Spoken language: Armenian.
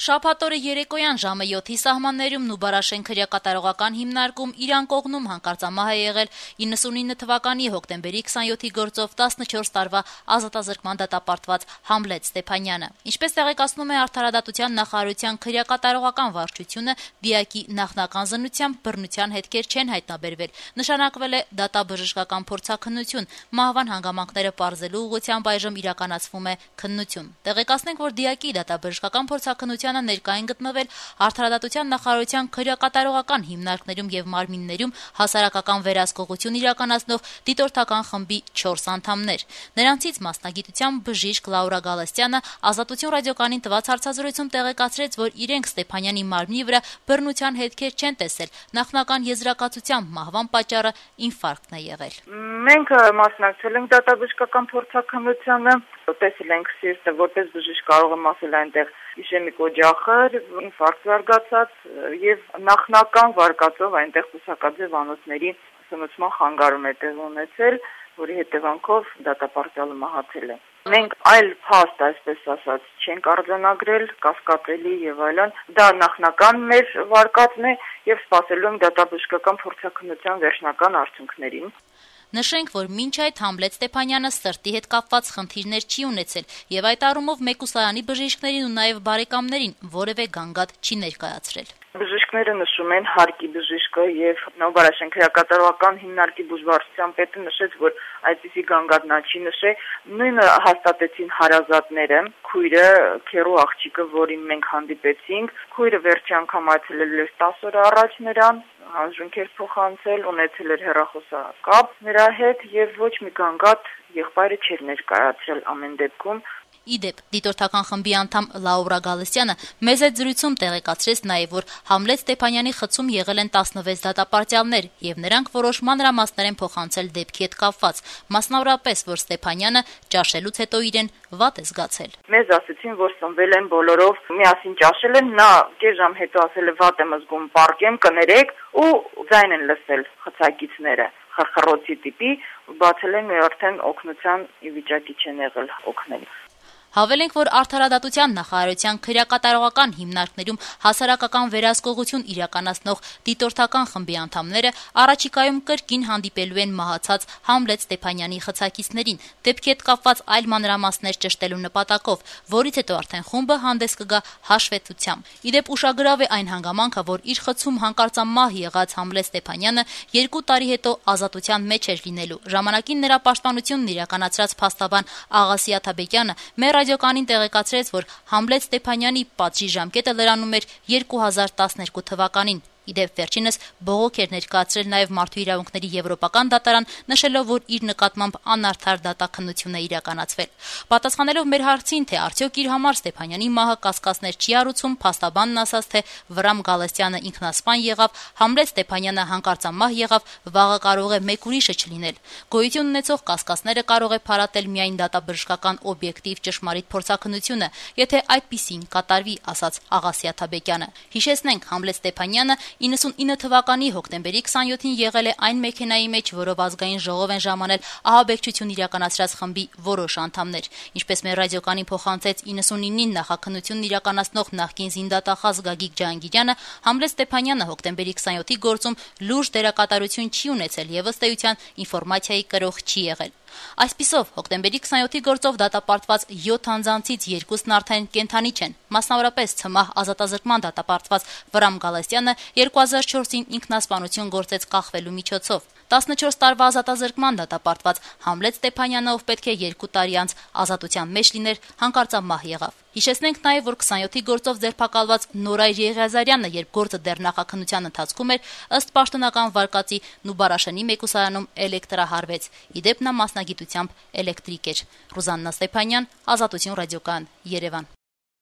Շաբաթօրը երեկոյան ժամը 7-ի սահմաններում Նուբարաշեն քրեակատարողական հիմնարկում իրան կողմում հանկարծամահ է եղել 99 թվականի հոկտեմբերի 27-ի գործով 14 տարվա ազատազրկման դատապարտված Համլետ Ստեփանյանը։ Ինչպես տեղեկացնում է Արդարադատության նախարարության քրեակատարողական վարչությունը, դիակի նախնական զննությամբ բռնության հետքեր չեն հայտնաբերվել։ Նշանակվել է դատաբժշկական փորձաքննություն, մահվան հանգամանքները պարզելու ուղղությամբ այժմ իրականացվում է քննություն։ Տեղեկացնենք, որ դիակի դատաբժշկական փորձաքննության ներկա են գտնվել Արդարադատության նախարարության քրեակատարողական հիմնարկներում եւ մարմիններում հասարակական վերահսկողություն իրականացնող դիտորդական խմբի 4 անդամներ։ Նրանցից մասնագիտությամբ բժիշկ Լաուրա Գալստյանը Ազատություն ռադիոկայանին տված հարցազրույցում տեղեկացրեց, որ իրենք Ստեփանյանի մարմնի վրա բռնության հետքեր չեն տեսել։ Նախնական եզրակացությամբ մահվան պատճառը ինֆարկտն է եղել։ Մենք մասնակցել ենք դատաբժշկական փորձաքննությանը, տեսել ենք սիրտը, որպես բժիշկ կարող եմ ասել այնտեղ իշեմիկ օջախներ, ինֆարկտ զարգացած եւ նախնական վարկածով այնտեղ կուսակաձև անոթների սնուցման խանգարում է տեղ ունեցել, որի հետևանքով դատապարտյալը մահացել է։ Մենք այլ փաստ, այսպես ասած, չենք արձանագրել, կասկածելի եւ այլն, դա նախնական մեր վարկածն է եւ սպասելու ենք դատաբժշկական փորձաքննության վերջնական արդյունքներին։ Նշենք, որ մինչ այդ Համլետ Ստեփանյանը սրտի հետ կապված խնդիրներ չի ունեցել եւ այդ առումով Մեկուսայանի բժիշկներին ու նաեւ բարեկամներին որևէ գանգատ չի ներկայացրել։ Բժիշկները նշում են հարկի բժիշկը եւ Նոբարաշեն քրեակատարողական հիմնարկի բուժվարչության պետը նշեց, որ այդպիսի գանգատ նա չի նշել, նույնը հաստատեցին հարազատները, քույրը, քերու աղջիկը, որին մենք հանդիպեցինք, քույրը վերջի անգամ այցելել էր 10 օր առաջ նրան, հանձնքեր փոխանցել, ունեցել էր հեռախոսակապ նրա հետ եւ ոչ մի գանգատ եղբայրը չէր ներկայացրել ամեն դեպքում։ Իդեպ, դիտորդական խմբի անդամ Լաուրա Գալստյանը մեզ այդ զրույցում տեղեկացրեց նաև, որ Համլետ Ստեփանյանի խցում եղել են 16 դատապարտյալներ եւ նրանք որոշ մանրամասներ են փոխանցել դեպքի հետ կապված, մասնավորապես, որ Ստեփանյանը ճաշելուց հետո իրեն վատ է զգացել։ Մեզ ասեցին, որ սնվել են բոլորով, միասին ճաշել են, նա կես ժամ հետո ասել է վատ եմ զգում, պարկեմ, կներեք ու ձայն են լսել խցակիցները։ Խրխրոցի տիպի, բացել են արդեն օգնության վիճակի չեն եղել օգնել։ Հավելենք, որ Արդարադատության նախարարության քրեակատարողական հիմնարկներում հասարակական վերահսկողություն իրականացնող դիտորդական խմբի անդամները առաջիկայում կրկին հանդիպելու են մահացած Համլետ Ստեփանյանի խցակիցներին, դեպքի հետ կապված այլ մանրամասներ ճշտելու նպատակով, որից հետո արդեն խումբը հանդես կգա հաշվետվությամբ։ Իդեպ ուշագրավ է այն հանգամանքը, որ իր խցում հանկարծամահ եղած Համլետ Ստեփանյանը 2 տարի հետո ազատության մեջ էր լինելու։ Ժամանակին նրա պաշտպանությունն իրականացրած փաստաբան Աղասի Աթաբեկյանը մեր ռադիոկայանին տեղեկացրեց, որ Համլետ Ստեփանյանի պատժի ժամկետը լրանում էր 2012 թվականին։ Իդեպ վերջինս բողոք էր ներկայացրել նաև Մարդու իրավունքների եվրոպական դատարան, նշելով, որ իր նկատմամբ անարդար դատաքննություն է իրականացվել։ Պատասխանելով մեր հարցին, թե արդյոք իր համար Ստեփանյանի մահը կասկածներ չի առուցում, փաստաբանն ասաց, թե Վրամ Գալստյանը ինքնասպան եղավ, Համլետ Ստեփանյանը հանկարծամահ եղավ, վաղը կարող է մեկ ուրիշը չլինել։ Գոյություն ունեցող կասկածները կարող է փարատել միայն դատաբժշկական օբյեկտիվ ճշմարիտ փորձաքննությունը, եթե այդպիսին կատարվի, ասաց Աղասի Աթաբեկյանը։ Հիշեցնենք, Համլետ Ստեփանյանը 99 թվականի հոկտեմբերի 27-ին եղել է այն մեքենայի մեջ, որով ազգային ժողով են ժամանել ահաբեկչություն իրականացրած խմբի որոշ անդամներ։ Ինչպես մեր ռադիոկայանին փոխանցեց 99-ին նախաքննությունն իրականացնող նախկին զինդատախազ Գագիկ Ջահանգիրյանը, Համլետ Ստեփանյանը հոկտեմբերի 27-ի գործում լուրջ դերակատարություն չի ունեցել եւ ըստ էության ինֆորմացիայի կրող չի եղել։ Այսպիսով, հոկտեմբերի 27-ի գործով դատապարտված 7 անձանցից 2-ն արդեն կենդանի չեն։ Մասնավորապես ցմահ ազատազրկման դատապարտված Վրամ Գալստյանը 2004-ին ինքնասպանություն գործեց կախվելու միջոցով։ 14 տարվա ազատազրկման դատապարտված Համլետ Ստեփանյանը, ով պետք է 2 տարի անց ազատության մեջ լիներ, հանկարծամահ եղավ։ Հիշեցնենք նաև, որ 27-ի գործով ձերբակալված Նորայր Եղիազարյանը, երբ գործը դեռ նախաքննության ընթացքում էր, ըստ պաշտոնական վարկածի Նուբարաշենի Մեկուսայանում էլեկտրահարվեց։ Իդեպ նա մասնագիտությամբ էլեկտրիկ էր։ Ռուզաննա Ստեփանյան, Ազատություն ռադիոկայան, Երևան։